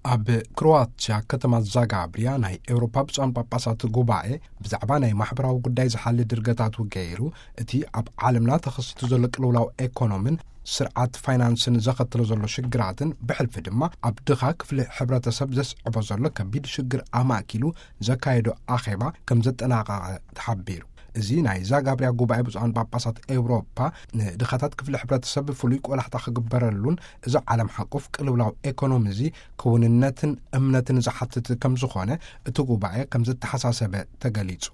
ኣብ ክሮዋትያ ከተማ ዛጋብርያ ናይ ኤውሮፓ ብፁዓን ጳጳሳት ጉባኤ ብዛዕባ ናይ ማሕበራዊ ጉዳይ ዝሓሊ ድርገታቱ ገይሩ፣ እቲ ኣብ ዓለምና ተኸሲቱ ዘሎ ቅልውላው ኤኮኖሚን ስርዓት ፋይናንስን ዘኸትሎ ዘሎ ሽግራትን፣ ብሕልፊ ድማ ኣብ ድኻ ክፍሊ ሕብረተሰብ ዘስዕቦ ዘሎ ከቢድ ሽግር ኣማእኪሉ ዘካየዶ ኣኼባ ከም ዘጠናቐቐ ተሓቢሩ። እዚ ናይ ዛጋብርያ ጉባኤ ብፁዓን ጳጳሳት ኤውሮፓ ንድኻታት ክፍሊ ሕብረተሰብ ፍሉይ ቆላሕታ ክግበረሉን፣ እዚ ዓለም ሓቁፍ ቅልውላው ኤኮኖሚ እዚ ክውንነትን እምነትን ዝሓትት ከም ዝኾነ እቲ ጉባኤ ከም ዘተሓሳሰበ ተገሊጹ።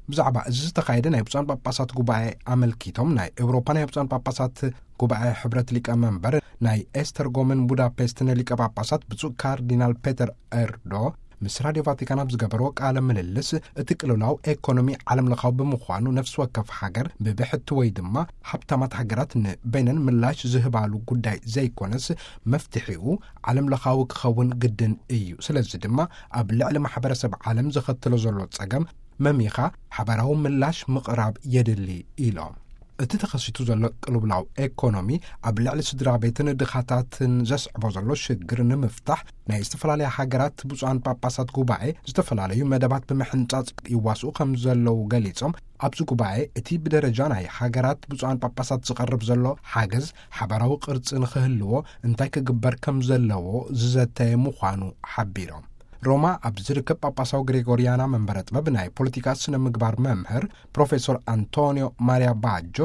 ብዛዕባ እዚ ዝተኻየደ ናይ ብፁዓን ጳጳሳት ጉባኤ ኣመልኪቶም ናይ ኤውሮፓ ናይ ብፁዓን ጳጳሳት ጉባኤ ሕብረት ሊቀ መንበር ናይ ኤስተርጎምን ቡዳፔስትን ሊቀ ጳጳሳት ብፁዕ ካርዲናል ፔተር ኤርዶ ምስ ራድዮ ቫቲካን ኣብ ዝገበርዎ ቃለ ምልልስ፣ እቲ ቅልውላው ኤኮኖሚ ዓለም ለኻዊ ብምዃኑ፣ ነፍሲ ወከፍ ሃገር ብብሕቲ ወይ ድማ ሃብታማት ሃገራት ንበይነን ምላሽ ዝህባሉ ጉዳይ ዘይኮነስ፣ መፍትሒኡ ዓለም ለኻዊ ክኸውን ግድን እዩ። ስለዚ ድማ ኣብ ልዕሊ ማሕበረሰብ ዓለም ዘኸትሎ ዘሎ ጸገም መሚኻ ሓባራዊ ምላሽ ምቕራብ የድሊ ኢሎም። እቲ ተኸሲቱ ዘሎ ቅልውላው ኤኮኖሚ ኣብ ልዕሊ ስድራ ቤትን ድኻታትን ዘስዕቦ ዘሎ ሽግር ንምፍታሕ፣ ናይ ዝተፈላለያ ሃገራት ብፁዓን ጳጳሳት ጉባኤ ዝተፈላለዩ መደባት ብምሕንጻጽ ይዋስኡ ከም ዘለዉ ገሊጾም፣ ኣብዚ ጉባኤ እቲ ብደረጃ ናይ ሃገራት ብፁዓን ጳጳሳት ዝቐርብ ዘሎ ሓገዝ ሓባራዊ ቅርጺ ንኽህልዎ እንታይ ክግበር ከም ዘለዎ ዝዘተየ ምዃኑ ሓቢሮም። ሮማ ኣብ ዝርከብ ጳጳሳዊ ግሬጎርያና መንበረ ጥበብ ናይ ፖለቲካ ስነ ምግባር መምህር ፕሮፌሶር ኣንቶኒዮ ማሪያ ባጆ፣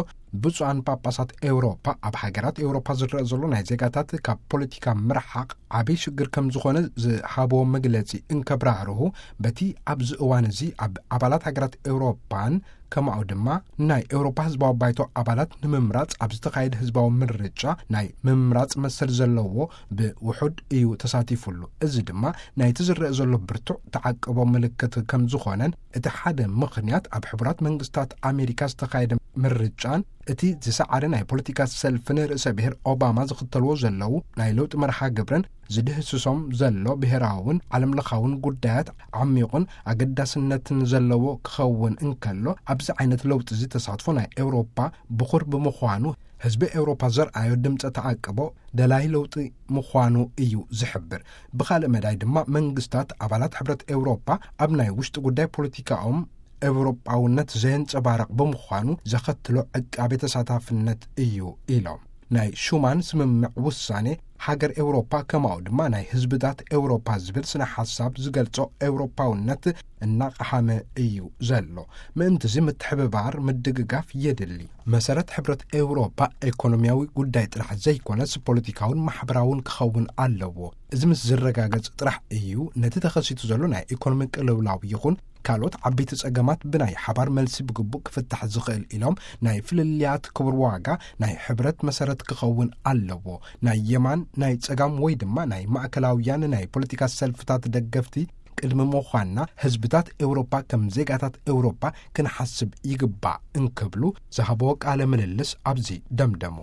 ብፁዓን ጳጳሳት ኤውሮፓ ኣብ ሃገራት ኤውሮፓ ዝረአ ዘሎ ናይ ዜጋታት ካብ ፖለቲካ ምርሓቕ ዓብዪ ሽግር ከም ዝኾነ ዝሃብዎ መግለጺ እንከብራህርሁ፣ በቲ ኣብዚ እዋን እዚ ኣብ ኣባላት ሃገራት ኤውሮፓን ከማኡ ድማ ናይ ኤውሮፓ ህዝባዊ ባይቶ ኣባላት ንምምራጽ ኣብ ዝተኻየደ ህዝባዊ ምርጫ ናይ ምምራጽ መሰል ዘለዎ ብውሑድ እዩ ተሳቲፉሉ። እዚ ድማ ናይቲ ዝረአ ዘሎ ብርቱዕ ተዓቅቦ ምልክት ከም ዝኾነን፣ እቲ ሓደ ምኽንያት ኣብ ሕቡራት መንግስታት ኣሜሪካ ዝተኻየደ ምርጫን እቲ ዝሰዓረ ናይ ፖለቲካ ሰልፍን ርእሰ ብሔር ኦባማ ዝኽተልዎ ዘለዉ ናይ ለውጢ መርሃ ግብርን ዝድህስሶም ዘሎ ብሔራውን ዓለም ለኻውን ጉዳያት ዓሚቑን ኣገዳስነትን ዘለዎ ክኸውን እንከሎ፣ ኣብዚ ዓይነት ለውጢ እዚ ተሳትፎ ናይ ኤውሮፓ ብኹር ብምዃኑ፣ ህዝቢ ኤውሮፓ ዘርኣዮ ድምፀ ተዓቅቦ ደላይ ለውጢ ምዃኑ እዩ ዝሕብር። ብኻልእ መዳይ ድማ፣ መንግስታት ኣባላት ሕብረት ኤውሮፓ ኣብ ናይ ውሽጢ ጉዳይ ፖለቲካኦም ኤውሮጳውነት ዘየንጸባርቕ ብምዃኑ ዘኸትሎ ዕቃቤ ተሳታፍነት እዩ ኢሎም። ናይ ሹማን ስምምዕ ውሳኔ ሃገር ኤውሮፓ ከማኡ ድማ ናይ ህዝብታት ኤውሮፓ ዝብል ስነ ሓሳብ ዝገልጾ ኤውሮፓውነት እናቐሃመ እዩ ዘሎ። ምእንትዚ ምትሕብባር ምድግጋፍ የድሊ። መሰረት ሕብረት ኤውሮፓ ኤኮኖሚያዊ ጉዳይ ጥራሕ ዘይኮነስ ፖለቲካውን ማሕበራውን ክኸውን ኣለዎ። እዚ ምስ ዝረጋገጽ ጥራሕ እዩ ነቲ ተኸሲቱ ዘሎ ናይ ኤኮኖሚ ቅልውላው ይኹን ካልኦት ዓበይቲ ጸገማት ብናይ ሓባር መልሲ ብግቡእ ክፍታሕ ዝኽእል ኢሎም፣ ናይ ፍልልያት ክቡር ዋጋ ናይ ሕብረት መሰረት ክኸውን ኣለዎ። ናይ የማን፣ ናይ ጸጋም ወይ ድማ ናይ ማእከላውያን ናይ ፖለቲካ ሰልፍታት ደገፍቲ ቅድሚ ምዃንና፣ ህዝብታት ኤውሮፓ ከም ዜጋታት ኤውሮፓ ክንሓስብ ይግባእ እንክብሉ ዝሃብዎ ቃለ ምልልስ ኣብዚ ደምደሙ።